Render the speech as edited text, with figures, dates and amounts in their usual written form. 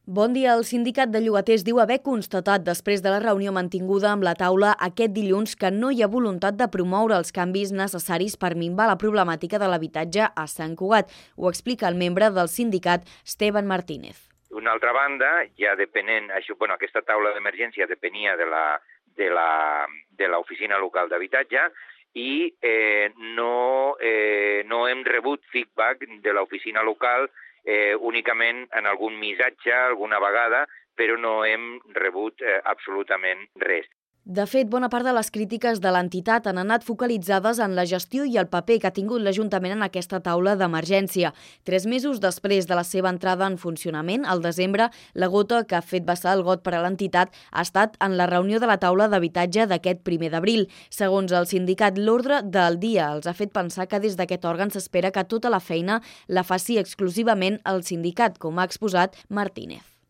Bon dia. El sindicat de llogaters diu haver constatat després de la reunió mantinguda amb la taula aquest dilluns que no hi ha voluntat de promoure els canvis necessaris per minvar la problemàtica de l'habitatge a Sant Cugat. Ho explica el membre del sindicat, Esteban Martínez. D'una altra banda, ja depenent, aquesta taula d'emergència depenia de l'oficina local d'habitatge i no hem rebut feedback de l'oficina local únicament en algun missatge, alguna vegada, però no hem rebut absolutament res. De fet, bona part de les crítiques de l'entitat han anat focalitzades en la gestió i el paper que ha tingut l'Ajuntament en aquesta taula d'emergència. 3 mesos després de la seva entrada en funcionament, al desembre, la gota que ha fet vessar el got per a l'entitat ha estat en la reunió de la taula d'habitatge d'aquest 1 d'abril. Segons el sindicat, l'ordre del dia els ha fet pensar que des d'aquest òrgan s'espera que tota la feina la faci exclusivament el sindicat, com ha exposat Martínez.